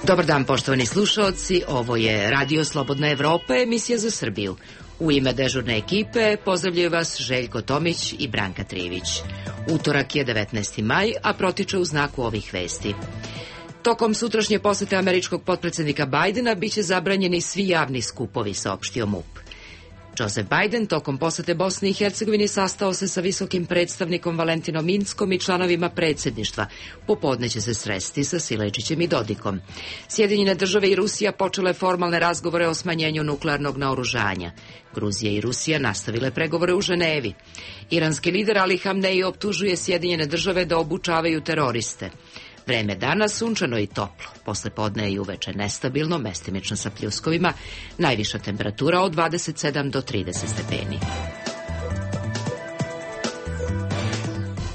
Dobar dan, poštovani slušaoci, ovo je Radio Slobodna Evropa, emisija za Srbiju. U ime dežurne ekipe pozdravljaju vas Željko Tomić i Branka Trivić. Utorak je 19. maj, a protiče u znaku ovih vesti. Tokom sutrašnje posete američkog potpredsjednika Bajdena biće zabranjeni svi javni skupovi, saopštio MUP. Joseph Biden tokom posete Bosni i Hercegovini sastao se sa visokim predstavnikom Valentinom Inckom i članovima predsjedništva. Popodne će se sresti sa Sileđićem i Dodikom. Sjedinjene države i Rusija počele formalne razgovore o smanjenju nuklearnog naoružanja. Gruzija i Rusija nastavile pregovore u Ženevi. Iranski lider Ali Hamneji optužuje Sjedinjene države da obučavaju teroriste. Vreme danas sunčano i toplo, posle podne i uveče nestabilno, mestimično sa pljuskovima, najviša temperatura od 27 do 30 stepeni.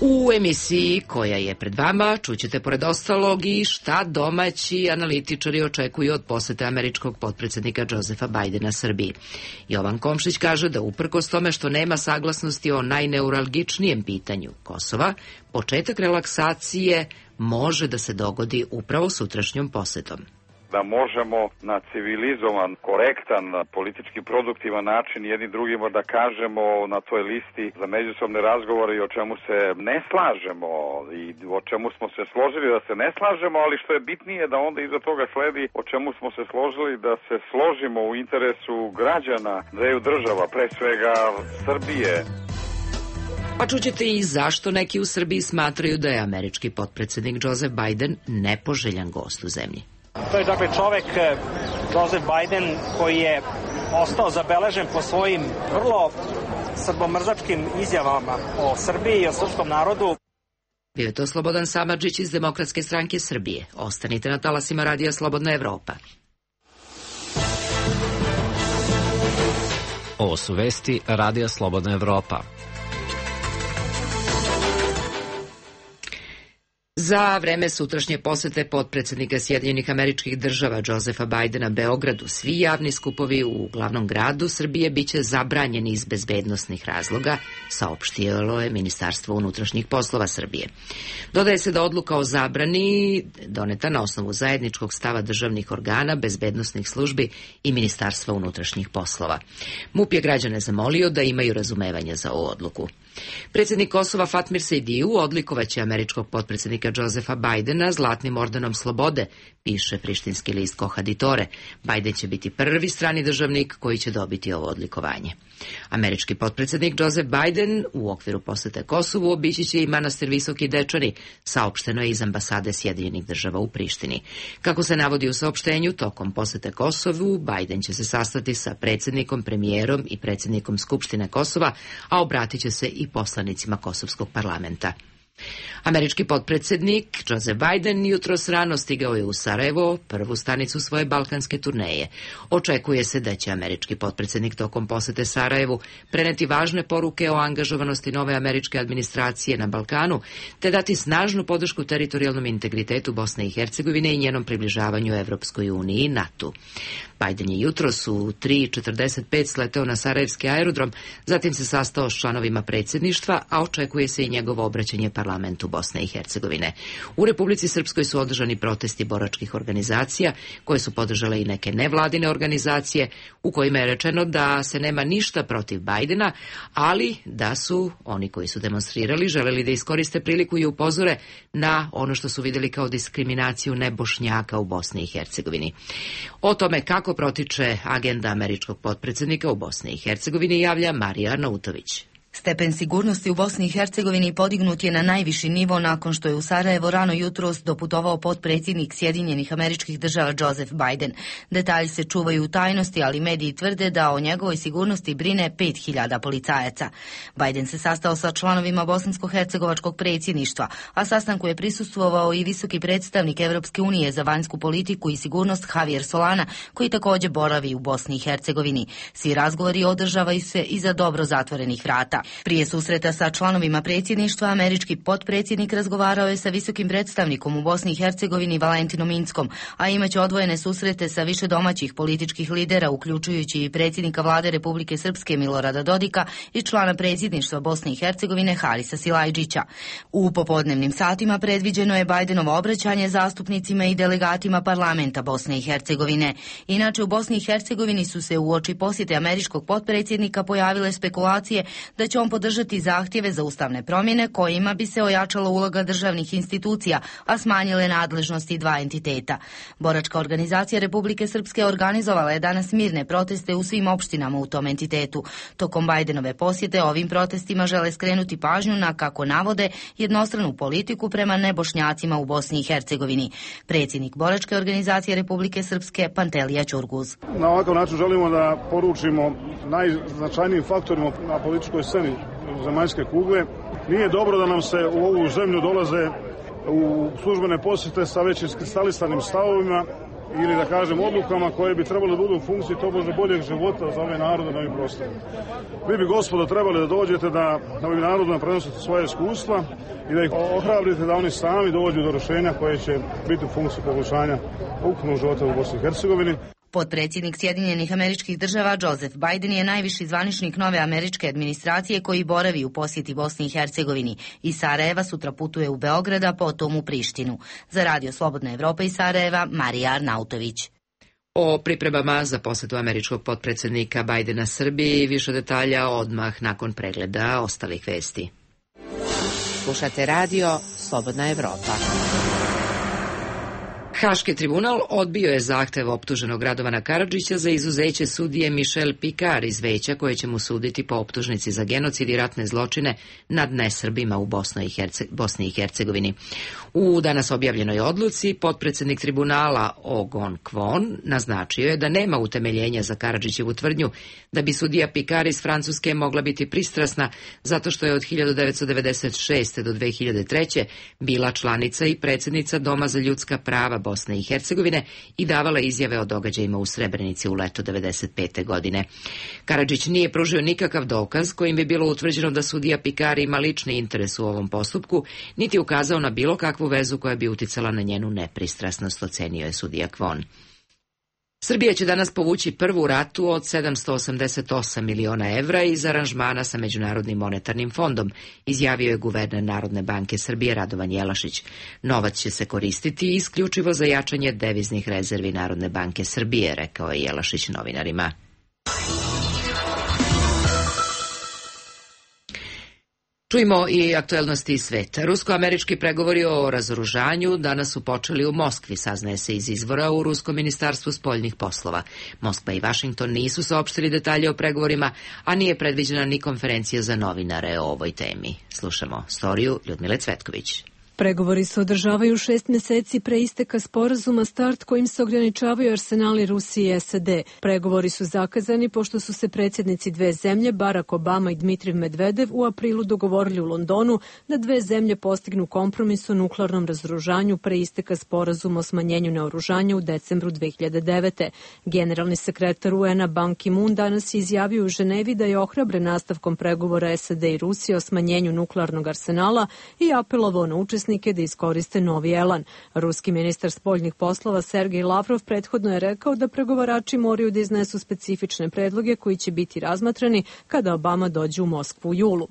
U emisiji koja je pred vama čućete pored ostalog i šta domaći analitičari očekuju od posete američkog potpredsjednika Josepha Bajdena Srbiji. Jovan Komšić kaže da uprkos tome što nema saglasnosti o najneuralgičnijem pitanju Kosova, početak relaksacije može da se dogodi upravo sutrašnjom posetom. Da možemo na civilizovan, korektan, politički produktivan način jedni drugima da kažemo na toj listi za međusobne razgovore i o čemu se ne slažemo i o čemu smo se složili da se ne slažemo, ali što je bitnije da onda iza toga sledi o čemu smo se složili da se složimo u interesu građana dveju država, pre svega Srbije. Pa čućete i zašto neki u Srbiji smatraju da je američki potpredsjednik Joseph Biden nepoželjan gost u zemlji. To je dakle čovek Joseph Biden koji je ostao zabeležen po svojim vrlo srbomrzačkim izjavama o Srbiji i o srpskom narodu. Bio je to Slobodan Samardžić iz Demokratske stranke Srbije. Ostanite na talasima Radija Slobodna Evropa. Ovo su vesti Radija Slobodna Evropa. Za vreme sutrašnje posete potpredsjednika Sjedinjenih Američkih Država Josepha Bajdena Beogradu, svi javni skupovi u glavnom gradu Srbije biće zabranjeni iz bezbednosnih razloga, saopštilo je Ministarstvo unutrašnjih poslova Srbije. Dodaje se da odluka o zabrani doneta na osnovu zajedničkog stava državnih organa, bezbednosnih službi i Ministarstva unutrašnjih poslova. MUP je građane zamolio da imaju razumevanja za ovu odluku. Predsjednik Kosova Fatmir Sejdiju odlikovaće američkog potpredsjednika Josepha Bajdena Zlatnim ordenom slobode, piše prištinski list Kohaditore. Bajden će biti prvi strani državnik koji će dobiti ovo odlikovanje. Američki potpredsjednik Joseph Biden u okviru posete Kosovu obići će i manastir Visoki Dečani, saopšteno je iz ambasade Sjedinjenih država u Prištini. Kako se navodi u saopštenju, tokom posete Kosovu, Biden će se sastati sa predsjednikom, premijerom i predsjednikom Skupštine Kosova, a obratit će se i poslanicima Kosovskog parlamenta. Američki potpredsjednik Joseph Biden jutros rano stigao je u Sarajevo, prvu stanicu svoje balkanske turneje. Očekuje se da će američki potpredsjednik tokom posete Sarajevu preneti važne poruke o angažovanosti nove američke administracije na Balkanu, te dati snažnu podršku teritorijalnom integritetu Bosne i Hercegovine i njenom približavanju Evropskoj uniji i NATO. Biden je jutros u 3:45 sleteo na sarajevski aerodrom, zatim se sastao s članovima predsjedništva, a očekuje se i njegovo obraćanje parlamentu Bosne i Hercegovine. U Republici Srpskoj su održani protesti boračkih organizacija, koje su podržale i neke nevladine organizacije, u kojima je rečeno da se nema ništa protiv Bajdena, ali da su oni koji su demonstrirali želeli da iskoriste priliku i upozore na ono što su vidjeli kao diskriminaciju nebošnjaka u Bosni i Hercegovini. O tome kako protiče agenda američkog potpredsjednika u Bosni i Hercegovini javlja Marija Arnautović. Stepen sigurnosti u Bosni i Hercegovini podignut je na najviši nivo nakon što je u Sarajevo rano jutros doputovao potpredsjednik Sjedinjenih Američkih Država Joseph Biden. Detalji se čuvaju u tajnosti, ali mediji tvrde da o njegovoj sigurnosti brine 5.000 policajaca. Biden se sastao sa članovima bosansko-hercegovačkog predsjedništva, a sastanku je prisustvovao i visoki predstavnik Evropske unije za vanjsku politiku i sigurnost Javier Solana, koji također boravi u Bosni i Hercegovini. Svi razgovori održavaju se iza dobro zatvorenih vrata. Prije susreta sa članovima predsjedništva, američki potpredsjednik razgovarao je sa visokim predstavnikom u Bosni i Hercegovini Valentinom Inckom, a imaće odvojene susrete sa više domaćih političkih lidera, uključujući i predsjednika vlade Republike Srpske Milorada Dodika i člana predsjedništva Bosne i Hercegovine Harisa Silajdžića. U popodnevnim satima predviđeno je Bajdenovo obraćanje zastupnicima i delegatima parlamenta Bosne i Hercegovine. Inače, u Bosni i Hercegovini su se uoči posjete američkog potpredsjednika pojavile spekulacije da će on podržati zahtjeve za ustavne promjene kojima bi se ojačala uloga državnih institucija, a smanjile nadležnosti dva entiteta. Boračka organizacija Republike Srpske organizovala je danas mirne proteste u svim opštinama u tom entitetu. Tokom Bajdenove posjete ovim protestima žele skrenuti pažnju na, kako navode, jednostranu politiku prema nebošnjacima u Bosni i Hercegovini. Predsjednik Boračke organizacije Republike Srpske Pantelija Ćurguz. Na ovakav način želimo da poručimo najznačajnijim faktorima na političkoj sceni zemaljske kugle. Nije dobro da nam se u ovu zemlju dolaze u službene posjete sa već iskristalisanim stavovima ili da kažem odlukama koje bi trebalo da budu u funkciji tobože boljeg života za ove narode na ovim prostorima. Vi bi, gospodo, trebali da dođete da ovim narodima prenosite svoje iskustva i da ih ohrabrite da oni sami dođu do rješenja koje će biti u funkciji poboljšanja ukupnog života u Bosni i Hercegovini. Potpredsjednik Sjedinjenih Američkih Država Joseph Biden je najviši zvaničnik nove američke administracije koji boravi u posjeti Bosni i Hercegovini. Iz Sarajeva sutra putuje u Beograd, a potom u Prištinu. Za Radio Slobodna Evropa iz Sarajeva, Marija Arnautović. O pripremama za posjetu američkog potpredsjednika Bajdena Srbiji više detalja odmah nakon pregleda ostalih vesti. Slušate Radio Slobodna Evropa. Haški tribunal odbio je zahtev optuženog Radovana Karadžića za izuzeće sudije Michel Picard iz veća koje će mu suditi po optužnici za genocid i ratne zločine nad nesrbima u Bosni i Hercegovini. U danas objavljenoj odluci potpredsjednik tribunala Ogon Kvon naznačio je da nema utemeljenja za Karadžićevu tvrdnju da bi sudija Picard iz Francuske mogla biti pristrasna zato što je od 1996. do 2003. bila članica i predsjednica Doma za ljudska prava Bosne i Hercegovine i davala izjave o događajima u Srebrenici u leto 1995. godine. Karadžić nije pružio nikakav dokaz kojim bi bilo utvrđeno da sudija Picard ima lični interes u ovom postupku, niti ukazao na bilo kakvu vezu koja bi uticala na njenu nepristrasnost, ocenio je sudija Kvon. Srbija će danas povući prvu ratu od 788 miliona evra iz aranžmana sa Međunarodnim monetarnim fondom, izjavio je guverner Narodne banke Srbije Radovan Jelašić. Novac će se koristiti isključivo za jačanje deviznih rezervi Narodne banke Srbije, rekao je Jelašić novinarima. Čujmo i aktuelnosti iz sveta. Rusko-američki pregovori o razoružanju danas su počeli u Moskvi, saznaje se iz izvora u Ruskom ministarstvu spoljnih poslova. Moskva i Vašington nisu saopštili detalje o pregovorima, a nije predviđena ni konferencija za novinare o ovoj temi. Slušamo storiju Ljudmile Cvetković. Pregovori se održavaju 6 mjeseci pre isteka sporazuma START kojim se ograničavaju arsenali Rusije i SAD. Pregovori su zakazani pošto su se predsjednici dve zemlje, Barack Obama i Dmitriv Medvedev, u aprilu dogovorili u Londonu da dve zemlje postignu kompromis o nuklearnom razoružanju pre isteka sporazuma o smanjenju naoružanja u decembru 2009. Generalni sekretar UN-a Ban Ki-moon danas je izjavio u Ženevi da je ohrabren nastavkom pregovora SAD i Rusije o smanjenju nuklearnog arsenala i apelovao na učesnike da iskoriste novi elan. Ruski ministar spoljnih poslova Sergej Lavrov prethodno je rekao da pregovarači moraju da iznesu specifične predloge koji će biti razmatrani kada Obama dođe u Moskvu u julu.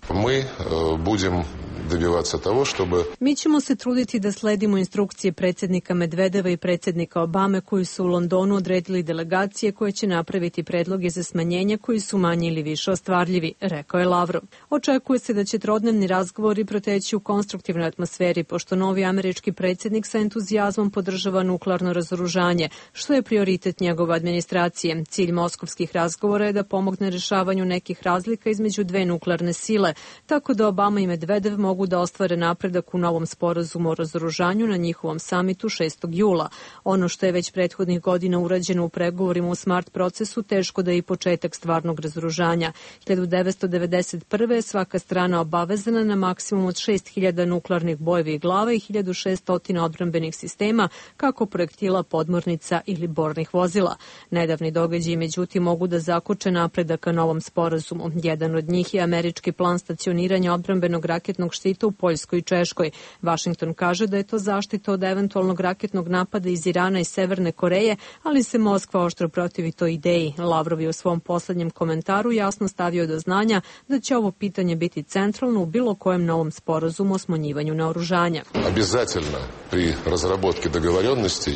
Mi ćemo se truditi da sledimo instrukcije predsjednika Medvedeva i predsjednika Obame koji su u Londonu odredili delegacije koje će napraviti predloge za smanjenje koji su manje ili više ostvarljivi, rekao je Lavrov. Očekuje se da će trodnevni razgovori proteći u konstruktivnoj atmosferi pošto novi američki predsjednik sa entuzijazmom podržava nuklearno razoružanje, što je prioritet njegove administracije. Cilj moskovskih razgovora je da pomogne rješavanju nekih razlika između dve nuklearne sile, tako da Obama i Medvedev mogu da ostvare napredak u novom sporazumu o razoružanju na njihovom samitu 6. jula. Ono što je već prethodnih godina urađeno u pregovorima u SMART procesu, teško da je i početak stvarnog razoružanja. 1991. je svaka strana obavezana na maksimum od 6000 nuklearnih bojevih tenkovih glava i 1600 odbrambenih sistema, kako projektila podmornica ili bornih vozila. Nedavni događaji, međutim, mogu da zakoče napredak ka novom sporazumu. Jedan od njih je američki plan stacioniranja odbrambenog raketnog štita u Poljskoj i Češkoj. Washington kaže da je to zaštita od eventualnog raketnog napada iz Irana i Severne Koreje, ali se Moskva oštro protivi toj ideji. Lavrov je u svom poslednjem komentaru jasno stavio do znanja da će ovo pitanje biti centralno u bilo kojem novom sporazumu o smanjivanju naoružanja.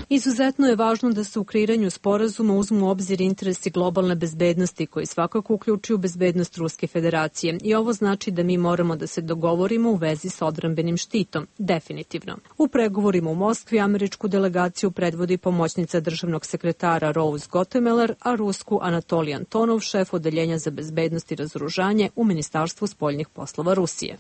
Izuzetno je važno da se u kreiranju sporazuma uzmu u obzir interesi globalne bezbednosti, koji svakako uključuju bezbednost Ruske federacije. I ovo znači da mi moramo da se dogovorimo u vezi sa odbrambenim štitom. Definitivno. U pregovorima u Moskvi američku delegaciju predvodi pomoćnica državnog sekretara Rose Gottemoeller, a rusku Anatolij Antonov, šef odeljenja za bezbednost i razoružanje u Ministarstvu spoljnih poslova Rusije.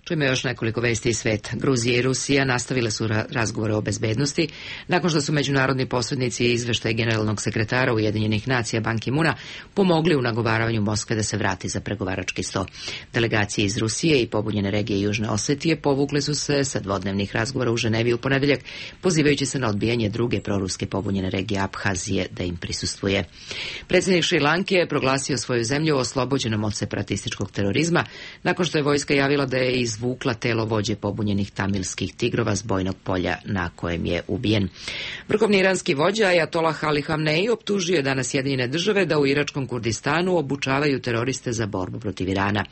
Čujemo još nekoliko vesti iz sveta. Gruzija i Rusija nastavile su razgovore o bezbednosti nakon što su međunarodni posrednici i izveštaj generalnog sekretara Ujedinjenih nacija Ban Ki-moona pomogli u nagovaravanju Moskve da se vrati za pregovarački sto. Delegacije iz Rusije i pobunjene regije Južne Osetije povukle su se sa dvodnevnih razgovora u Ženevi u ponedeljak, pozivajući se na odbijanje druge proruske pobunjene regije Abhazije da im prisustvuje. Predsjednik Šri Lanke je proglasio svoju zemlju oslobođenom od separatističkog terorizma nakon što je vojska javila da je izvukla telo vođe pobunjenih tamilskih tigrova s bojnog polja na kojem je ubijen. Vrhovni iranski vođa Ajatolah Ali Hamneji optužio je danas Sjedinjene države da u iračkom Kurdistanu obučavaju teroriste za borbu protiv Irana.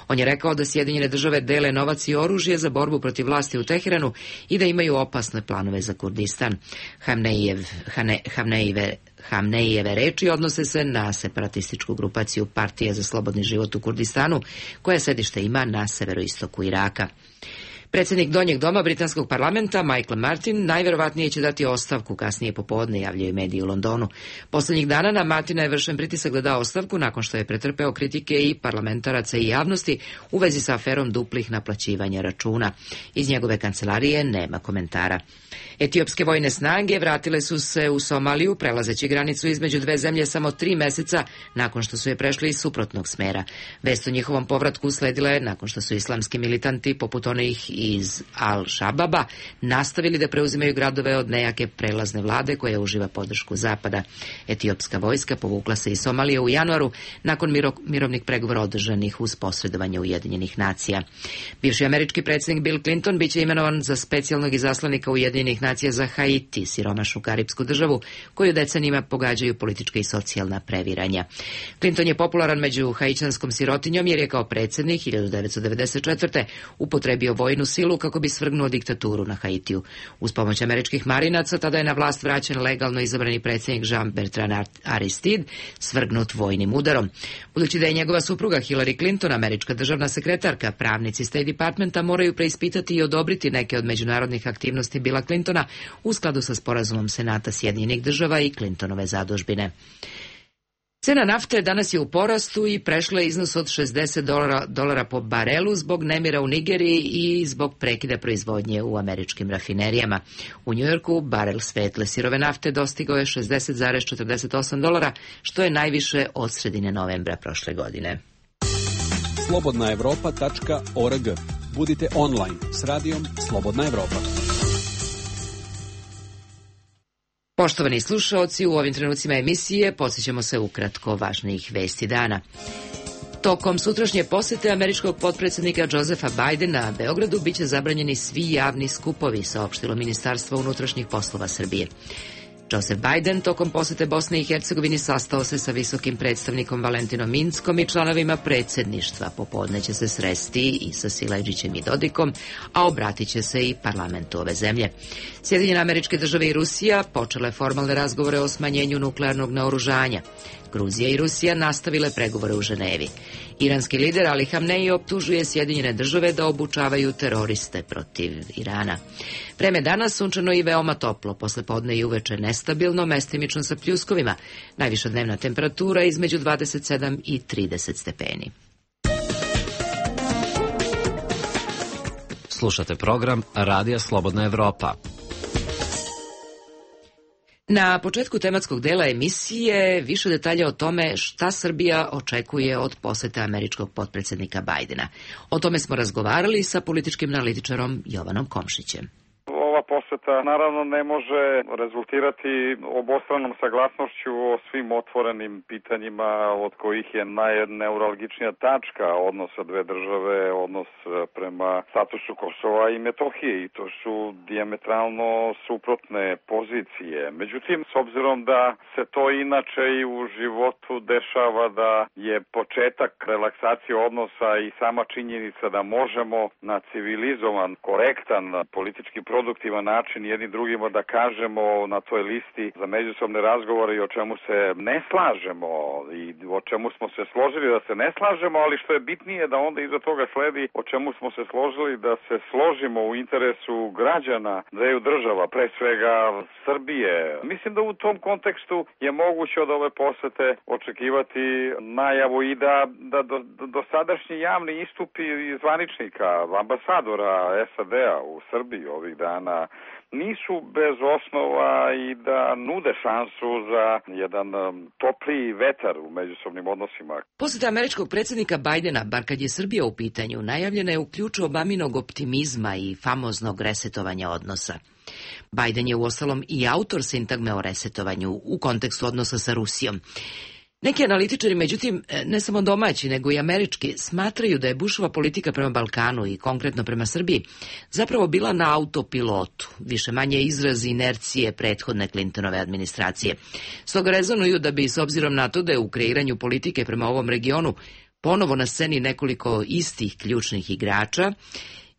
On je rekao da Sjedinjene države dele novac i oružje za borbu protiv vlasti u Teheranu i da imaju opasne planove za Kurdistan. Hamnejeve reči odnose se na separatističku grupaciju Partije za slobodni život u Kurdistanu, koja sedište ima na severoistoku Iraka. Predsjednik Donjeg doma britanskog parlamenta, Michael Martin, najverovatnije će dati ostavku kasnije popodne, javljaju mediji u Londonu. Poslednjih dana na Martina je vršen pritisak da da ostavku nakon što je pretrpeo kritike i parlamentaraca i javnosti u vezi sa aferom duplih naplaćivanja računa. Iz njegove kancelarije nema komentara. Etiopske vojne snage vratile su se u Somaliju, prelazeći granicu između dve zemlje samo 3 meseca nakon što su je prešli iz suprotnog smera. Vest o njihovom povratku usledila je nakon što su islamski militanti, poput onih iz Al-Shababa, nastavili da preuzimaju gradove od nejake prelazne vlade koja uživa podršku Zapada. Etiopska vojska povukla se iz Somalije u januaru nakon mirovnih pregovora održanih uz posredovanje Ujedinjenih nacija. Bivši američki predsjednik Bill Clinton biće imenovan za specijalnog izaslanika Ujedinjenih nacija za Haiti, siromašnu karipsku državu koju decenijima pogađaju politička i socijalna previranja. Clinton je popularan među haićanskom sirotinjom jer je kao predsjednik 1994. upotrebio vojnu silu kako bi svrgnuo diktaturu na Haitiju. Uz pomoć američkih marinaca tada je na vlast vraćen legalno izabrani predsjednik Jean-Bertrand Aristide, svrgnut vojnim udarom. Budući da je njegova supruga Hillary Clinton američka državna sekretarka, pravnici State Departmenta moraju preispitati i odobriti neke od međunarodnih aktivnosti Billa Clintona u skladu sa sporazumom Senata Sjedinjenih država i Clintonove zadužbine. Cena nafte danas je u porastu i prešla iznos od $60 po barelu zbog nemira u Nigeriji i zbog prekida proizvodnje u američkim rafinerijama. U Njujorku barel svetle sirove nafte dostigao je $60,48, što je najviše od sredine novembra prošle godine. slobodnaevropa.org. Budite online s radijom Slobodna Evropa. Poštovani slušaoci, u ovim trenucima emisije podsjećamo se ukratko važnijih vesti dana. Tokom sutrašnje posete američkog potpredsjednika Josefa Bidena Beogradu biće zabranjeni svi javni skupovi, saopštilo Ministarstvo unutrašnjih poslova Srbije. Joseph Biden tokom posete Bosne i Hercegovini sastao se sa visokim predstavnikom Valentinom Inckom i članovima predsjedništva. Popodne će se sresti i sa Sileđićem i Dodikom, a obratit će se i parlamentu ove zemlje. Sjedinjene Američke Države i Rusija počele formalne razgovore o smanjenju nuklearnog naoružanja. Gruzija i Rusija nastavile pregovore u Ženevi. Iranski lider Ali Hamneji optužuje Sjedinjene Države da obučavaju teroriste protiv Irana. Vreme danas sunčano i veoma toplo, poslepodne i uveče nestabilno, mestimično sa pljuskovima. Najviša dnevna temperatura između 27 i 30 stepeni. Slušate program Radija Slobodna Evropa. Na početku tematskog dela emisije više detalja o tome šta Srbija očekuje od posete američkog potpredsednika Bajdena. O tome smo razgovarali sa političkim analitičarom Jovanom Komšićem. Ova poseta naravno ne može rezultirati obostranom saglasnošću o svim otvorenim pitanjima od kojih je najneuralgičnija tačka odnosa dve države, odnos prema statusu Kosova i Metohije, i to su dijametralno suprotne pozicije. Međutim, s obzirom da se to inače i u životu dešava, da je početak relaksacije odnosa i sama činjenica da možemo na civilizovan, korektan, politički produktivan način jedni drugima da kažemo na toj listi za međusobne razgovore i o čemu se ne slažemo i o čemu smo se složili da se ne slažemo, ali što je bitnije da onda iza toga sledi o čemu smo se složili da se složimo u interesu građana dveju država, pre svega Srbije. Mislim da u tom kontekstu je moguće od ove posete očekivati najavu i da dosadašnji javni istupi zvaničnika, ambasadora SAD-a u Srbiji ovih dana nisu bez osnova i da nude šansu za jedan topliji vetar u međusobnim odnosima. Poseta američkog predsjednika Bajdena, bar kad je Srbija u pitanju, najavljena je u ključu Obaminog optimizma i famoznog resetovanja odnosa. Bajden je uostalom i autor sintagme o resetovanju u kontekstu odnosa sa Rusijom. Neki analitičari, međutim, ne samo domaći, nego i američki, smatraju da je Bushova politika prema Balkanu i konkretno prema Srbiji zapravo bila na autopilotu, više manje izraz inercije prethodne Clintonove administracije. Stoga rezonuju da bi, s obzirom na to da je u kreiranju politike prema ovom regionu ponovo na sceni nekoliko istih ključnih igrača,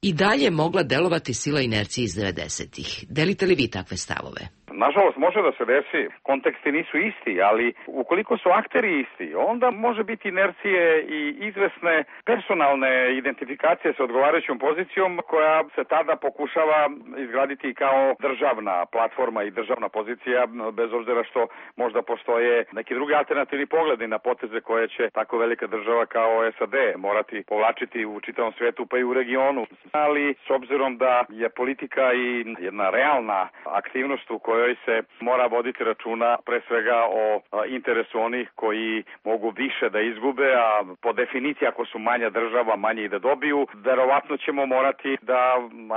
i dalje mogla delovati sila inercije iz 90-ih. Delite li vi takve stavove? Nažalost, može da se desi, konteksti nisu isti, ali ukoliko su akteri isti, onda može biti inercije i izvesne personalne identifikacije sa odgovarajućom pozicijom koja se tada pokušava izgraditi kao državna platforma i državna pozicija, bez obzira što možda postoje neki drugi alternativni pogledi na poteze koje će tako velika država kao SAD morati povlačiti u čitavom svetu pa i u regionu. Ali s obzirom da je politika i jedna realna aktivnost u kojoj se mora voditi računa pre svega o interesu onih koji mogu više da izgube, a po definiciji ako su manja država, manje i da dobiju, verovatno ćemo morati da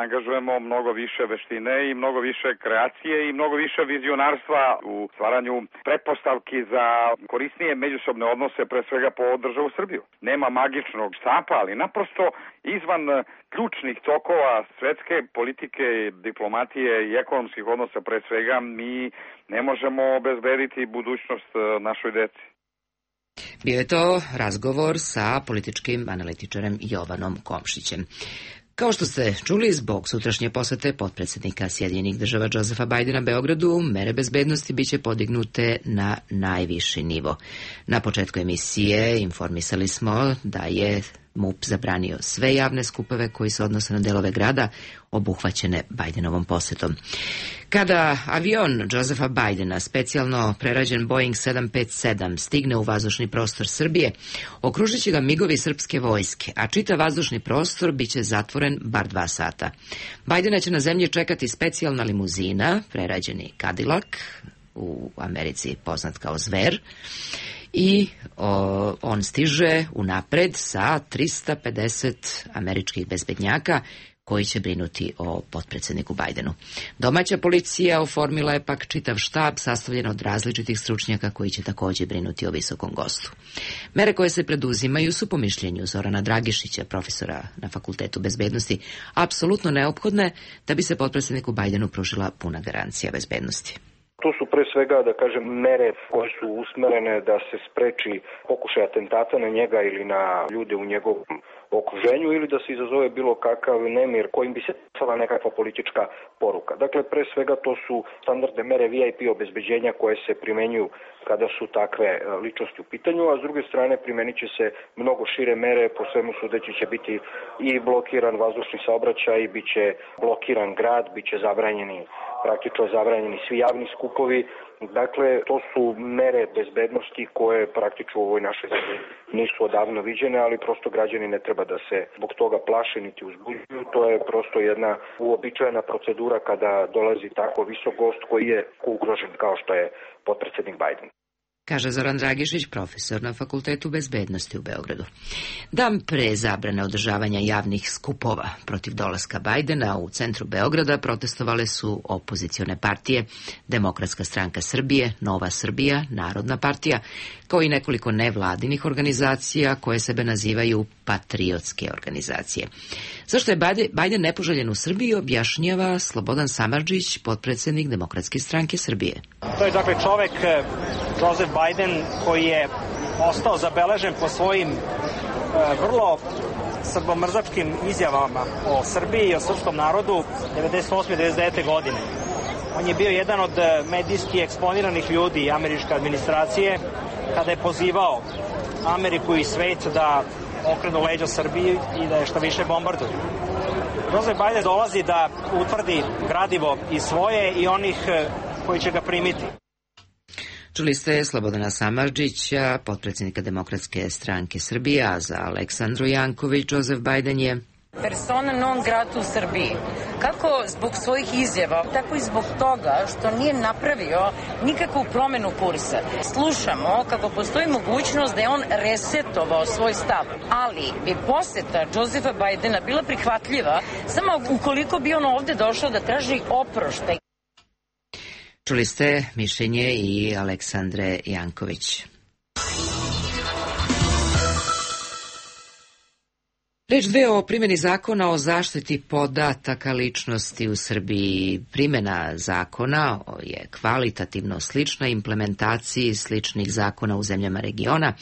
angažujemo mnogo više veštine i mnogo više kreacije i mnogo više vizionarstva u stvaranju pretpostavki za korisnije međusobne odnose, pre svega po državu Srbiju. Nema magičnog štapa, ali naprosto izvan ključnih tokova svetske politike, diplomatije i ekonomskih odnosa pre svega mi ne možemo obezbediti budućnost našoj deci. Bio je to razgovor sa političkim analitičarem Jovanom Komšićem. Kao što ste čuli, zbog sutrašnje posete potpredsednika Sjedinjenih država Josefa Bajdena Beogradu, mere bezbednosti biće podignute na najviši nivo. Na početku emisije informisali smo da je MUP zabranio sve javne skupove koji se odnose na delove grada obuhvaćene Bajdenovom posetom. Kada avion Josefa Bajdena, specijalno prerađen Boeing 757, stigne u vazdušni prostor Srbije, okružit će ga migovi srpske vojske, a čitav vazdušni prostor biće zatvoren bar 2 sata. Bajdena će na zemlji čekati specijalna limuzina, prerađeni Cadillac, u Americi poznat kao Zver, i on stiže unapred sa 350 američkih bezbednjaka koji će brinuti o potpredsedniku Bajdenu. Domaća policija oformila je pak čitav štab sastavljen od različitih stručnjaka koji će također brinuti o visokom gostu. Mere koje se preduzimaju su po mišljenju Zorana Dragišića, profesora na Fakultetu bezbednosti, apsolutno neophodne da bi se potpredsedniku Bajdenu pružila puna garancija bezbednosti. To su pre svega, da kažem, mere koje su usmerene da se spreči pokušaj atentata na njega ili na ljude u njegovom okruženju ili da se izazove bilo kakav nemir kojim bi se stala nekakva politička poruka. Dakle, pre svega to su standardne mere VIP obezbeđenja koje se primenjuju kada su takve ličnosti u pitanju, a s druge strane primenit će se mnogo šire mere, po svemu sudeći će biti i blokiran vazdušni saobraćaj, bit će blokiran grad, bit će zabranjeni praktično zabranjeni svi javni skupovi. Dakle, to su mere bezbednosti koje praktično u ovoj našoj zemlji nisu odavno viđene, ali prosto građani ne treba da se zbog toga plaše niti uzbuđuju. To je prosto jedna uobičajena procedura kada dolazi tako visok gost koji je ugrožen kao što je potpredsednik Biden. Kaže Zoran Dragišić, profesor na Fakultetu bezbednosti u Beogradu. Dan pre zabrane održavanja javnih skupova protiv dolaska Bajdena u centru Beograda protestovale su opozicione partije, Demokratska stranka Srbije, Nova Srbija, Narodna partija, kao i nekoliko nevladinih organizacija koje sebe nazivaju patriotske organizacije. Zašto je Bajden nepoželjen u Srbiji, objašnjava Slobodan Samardžić, potpredsednik Demokratske stranke Srbije. To je dakle čovek Joseph Biden koji je ostao zabeležen po svojim vrlo srbomrzačkim izjavama o Srbiji i o srpskom narodu 98. i 99. godine. On je bio jedan od medijski eksponiranih ljudi američke administracije kada je pozivao Ameriku i svet da okrenu leđa Srbiji i da je što više bombarduju. Joseph Biden dolazi da utvrdi gradivo i svoje i onih koji će ga primiti. Čuli ste Slobodana Samardžića, potpredsjednika Demokratske stranke Srbije, a za Aleksandru Janković Joseph Biden je persona non grata u Srbiji. Kako zbog svojih izjava, tako i zbog toga što nije napravio nikakvu promenu kursa. Slušamo kako postoji mogućnost da je on resetovao svoj stav, ali bi poseta Josepha Bidena bila prihvatljiva samo ukoliko bi on ovde došao da traži oproštaj. Čuli ste mišljenje i Aleksandre Janković. Reč dve o primjeni zakona o zaštiti podataka ličnosti u Srbiji. Primjena zakona je kvalitativno slična implementaciji sličnih zakona u zemljama regiona,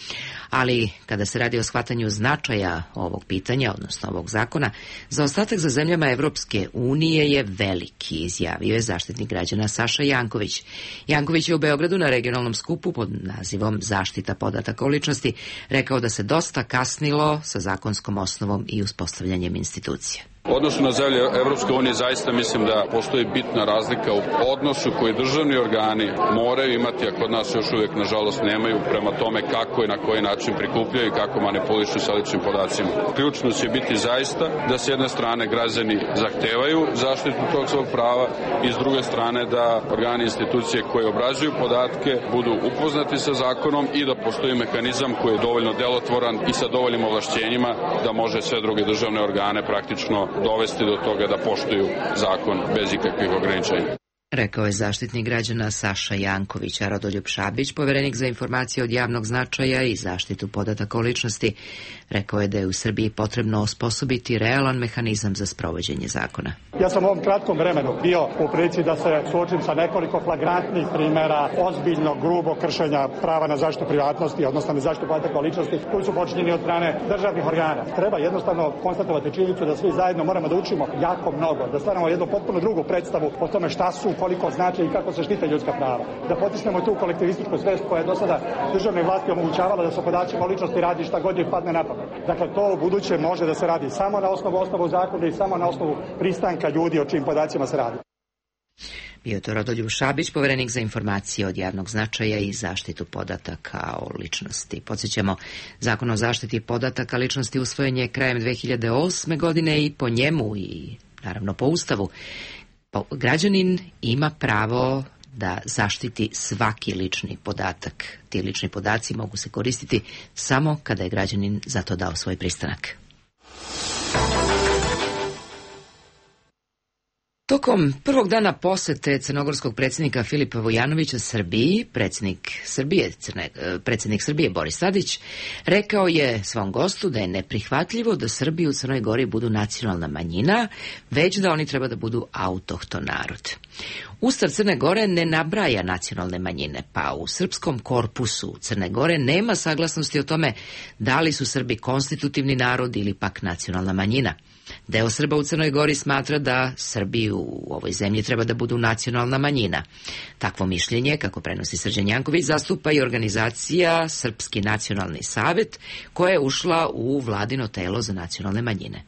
ali kada se radi o shvatanju značaja ovog pitanja, odnosno ovog zakona, zaostatak za zemljama Evropske unije je veliki, izjavio je Zaštitnik građana Saša Janković. Janković je u Beogradu na regionalnom skupu pod nazivom Zaštita podataka o ličnosti rekao da se dosta kasnilo sa zakonskom osnovom i uspostavljanjem institucija. U odnosu na zemlje Evropske unije zaista mislim da postoji bitna razlika u odnosu koji državni organi moraju imati, a kod nas još uvijek nažalost nemaju, prema tome kako i na koji način prikupljaju i kako manipulišu sa ličnim podacima. Ključno će biti zaista da s jedne strane građani zahtevaju zaštitu tog svog prava i s druge strane da organi i institucije koje obrađuju podatke budu upoznati sa zakonom i da postoji mehanizam koji je dovoljno delotvoran i sa dovoljnim ovlašćenjima da može sve druge državne organe praktično dovesti do toga da poštuju zakon bez ikakvih ograničenja. Rekao je Zaštitnik građana Saša Janković, a Rodoljub Šabić, poverenik za informacije od javnog značaja i zaštitu podataka o ličnosti, rekao je da je u Srbiji potrebno osposobiti realan mehanizam za sprovođenje zakona. Ja sam u ovom kratkom vremenu bio u prilici da se suočim sa nekoliko flagrantnih primjera ozbiljnog, grubog kršenja prava na zaštitu privatnosti, odnosno na zaštitu podataka o ličnosti, koji su počinjeni od strane državnih organa. Treba jednostavno konstatovati činjenicu da svi zajedno moramo da učimo jako mnogo, da stvaramo jednu potpuno drugu predstavu o tome šta su, koliko znači i kako se štite ljudska prava. Da potisnemo tu kolektivističku svest koja je do sada državnoj vlasti omogućavala da sa podacima o ličnosti radi šta god je padne na pamet. Dakle, to u buduće može da se radi samo na osnovu zakona i samo na osnovu pristanka ljudi o čijim podacima se radi. Bio je to Rodoljub Šabić, poverenik za informacije od javnog značaja i zaštitu podataka o ličnosti. Podsjećamo, Zakon o zaštiti podataka ličnosti usvojen je krajem 2008. godine i po njemu i naravno po Ustavu građanin ima pravo da zaštiti svaki lični podatak. Ti lični podaci mogu se koristiti samo kada je građanin za to dao svoj pristanak. Tokom prvog dana posete crnogorskog predsjednika Filipa Vujanovića Srbiji, predsjednik Srbije Boris Tadić rekao je svom gostu da je neprihvatljivo da Srbi u Crnoj Gori budu nacionalna manjina, već da oni treba da budu autohton narod. Ustav Crne Gore ne nabraja nacionalne manjine, pa u srpskom korpusu Crne Gore nema saglasnosti o tome da li su Srbi konstitutivni narod ili pak nacionalna manjina. Deo Srba u Crnoj Gori smatra da Srbi u ovoj zemlji treba da budu nacionalna manjina. Takvo mišljenje, kako prenosi Srđan Janković, zastupa i organizacija Srpski nacionalni savet, koja je ušla u vladino telo za nacionalne manjine.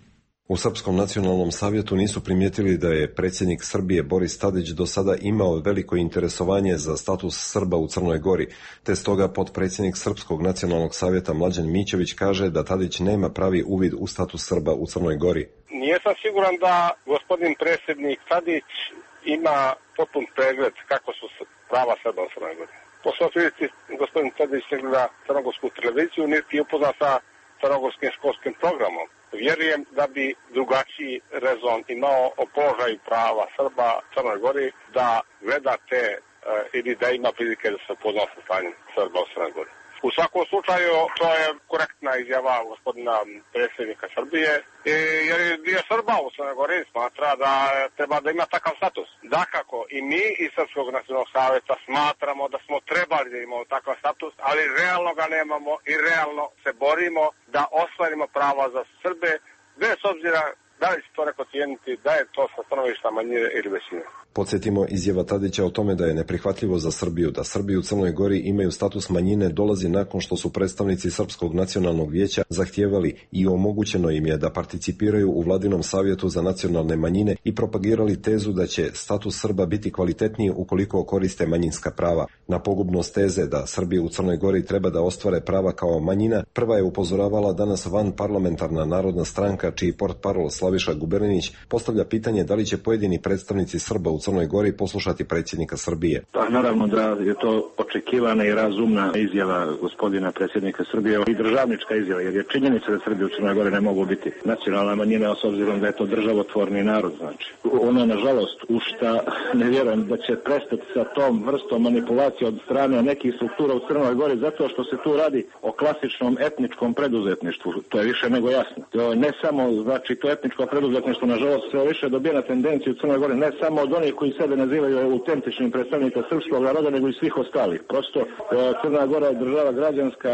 U Srpskom nacionalnom savjetu nisu primijetili da je predsjednik Srbije Boris Tadić do sada imao veliko interesovanje za status Srba u Crnoj Gori, te stoga potpredsjednik Srpskog nacionalnog savjeta Mlađan Mićević kaže da Tadić nema pravi uvid u status Srba u Crnoj Gori. Nisam siguran da gospodin predsjednik Tadić ima potpun pregled kako su prava Srba u Crnoj Gori. Poslušajte, gospodin Tadić ne gleda crnogorsku televiziju, niti je upoznat sa crnogorskim školskim programom. Vjerujem da bi drugačiji rezon imao o položaju prava Srba u Crnoj Gori da gleda te ili da ima prilike da se upozna sa stanjem Srba u Crnoj Gori. U svakom slučaju to je korektna izjava gospodina predsjednika Srbije, jer dio Srba u Crnoj Gori smatra da treba da ima takav status. Dakako, i mi iz Srpskog nacionalnog savjeta smatramo da smo trebali da imamo takav status, ali realno ga nemamo i realno se borimo da ostvarimo prava za Srbe, bez obzira da li će to neko cijeniti, da je to sa stanovišta manjine ili većine. Podsjetimo, izjava Tadića o tome da je neprihvatljivo za Srbiju da Srbi u Crnoj Gori imaju status manjine dolazi nakon što su predstavnici Srpskog nacionalnog vijeća zahtijevali i omogućeno im je da participiraju u Vladinom savjetu za nacionalne manjine i propagirali tezu da će status Srba biti kvalitetniji ukoliko koriste manjinska prava. Na pogubnost teze da Srbi u Crnoj Gori treba da ostvare prava kao manjina, prva je upozoravala danas vanparlamentarna Narodna stranka, čiji portparol Slaviša Guberinić postavlja pitanje da li će pojedini predstavnici Srba u Crnoj Gori poslušati predsjednika Srbije. Pa naravno da je to očekivana i razumna izjava gospodina predsjednika Srbije i državnička izjava, jer je činjenica da Srbi u Crnoj Gori ne mogu biti nacionalna manjina, s obzirom da je to državotvorni narod. Znači, ono nažalost u šta ne vjerujem da će prestati sa tom vrstom manipulacije od strane nekih struktura u Crnoj Gori, zato što se tu radi o klasičnom etničkom preduzetništvu. To je više nego jasno. To ne samo, znači, to etničko preduzetništvo nažalost sve više dobija na tendenciju u Crnoj Gori, ne samo od onih koji sebe nazivaju autentičnim predstavnika srpskog naroda, nego i svih ostalih. Prosto Crna Gora je država građanska,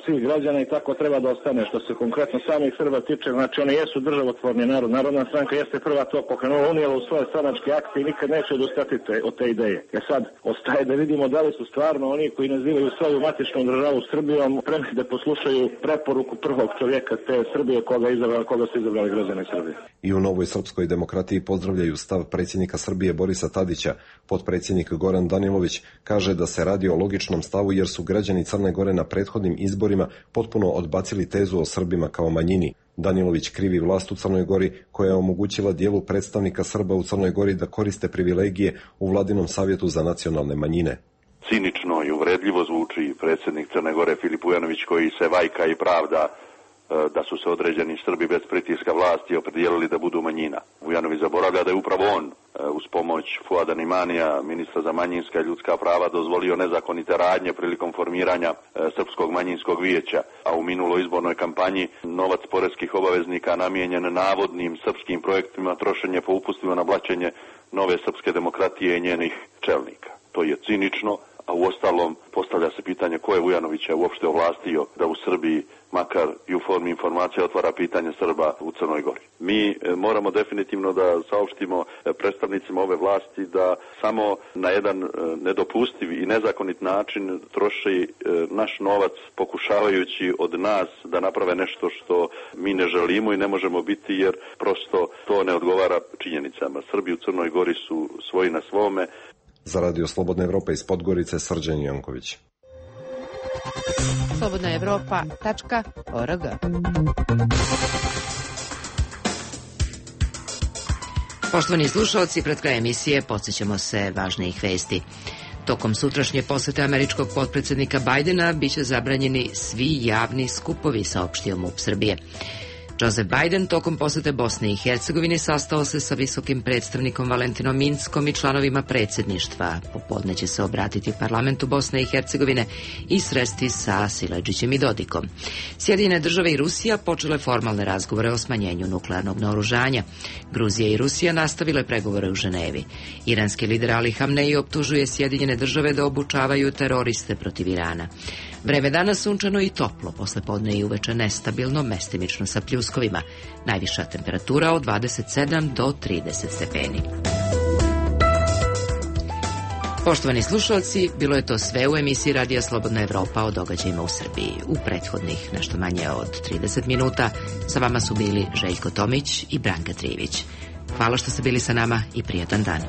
svih građana i tako treba da ostane. Što se konkretno samih Srba tiče, znači oni jesu državotvorni narod. Narodna stranka jeste prva to pokrenula, unijela u svoje stranačke akte i nikad neće odustati od te ideje. Sad ostaje da vidimo da li su stvarno oni koji nazivaju svoju matičnu državu Srbijom spremni da poslušaju preporuku prvog čovjeka te Srbije koga su izabrali građani Srbije. I u Novoj srpskoj demokratiji pozdravljaju stav predsjednika Srbije Borisa Tadića. Potpredsjednik Goran Danilović kaže da se radi o logičnom stavu jer su građani Crne Gore na prethodnim izborima potpuno odbacili tezu o Srbima kao manjini. Danilović krivi vlast u Crnoj Gori koja je omogućila dijelu predstavnika Srba u Crnoj Gori da koriste privilegije u Vladinom savjetu za nacionalne manjine. Cinično i uvredljivo zvuči predsjednik Crne Gore Filip Vujanović koji se vajka i pravda da su se određeni Srbi bez pritiska vlasti opredijelili da budu manjina. Vujanović zaboravlja da je upravo on uz pomoć Fuada Nimanija, ministra za manjinska i ljudska prava, dozvolio nezakonite radnje prilikom formiranja Srpskog manjinskog vijeća, a u minuloj izbornoj kampanji novac poreskih obaveznika namijenjen navodnim srpskim projektima trošen je po upustima na blaćenje nove srpske demokratije i njenih čelnika. To je cinično, a u ostalom postavlja se pitanje ko je Vujanovića uopšte ovlastio da u Srbiji, makar i u formi informacija, otvara pitanje Srba u Crnoj Gori. Mi moramo definitivno da saopštimo predstavnicima ove vlasti da samo na jedan nedopustiv i nezakonit način troši naš novac pokušavajući od nas da naprave nešto što mi ne želimo i ne možemo biti, jer prosto to ne odgovara činjenicama. Srbi u Crnoj Gori su svoji na svome. Za Radio Slobodna Evropa iz Podgorice, Srđan Janković. slobodnaevropa.org. Poštovani slušalci, pred kraj emisije podsjećamo se važnijih vesti. Tokom sutrašnje posete američkog potpredsjednika Bajdena biće zabranjeni svi javni skupovi, saopštio MUP Srbije. Joseph Biden tokom posete Bosne i Hercegovine sastao se sa visokim predstavnikom Valentinom Inckom i članovima predsjedništva. Popodne će se obratiti parlamentu Bosne i Hercegovine i sresti sa Siledžićem i Dodikom. Sjedinjene države i Rusija počele formalne razgovore o smanjenju nuklearnog naoružanja. Gruzija i Rusija nastavile pregovore u Ženevi. Iranski lider Ali Hamneji optužuje Sjedinjene države da obučavaju teroriste protiv Irana. Vreme danas sunčano i toplo, poslepodne i uveče nestabilno, mestimično sa pljuskovima. Najviša temperatura od 27 do 30 stepeni. Poštovani slušalci, bilo je to sve u emisiji Radija Slobodna Evropa o događajima u Srbiji. U prethodnih nešto manje od 30 minuta sa vama su bili Željko Tomić i Branka Trivić. Hvala što ste bili sa nama i prijatan dan.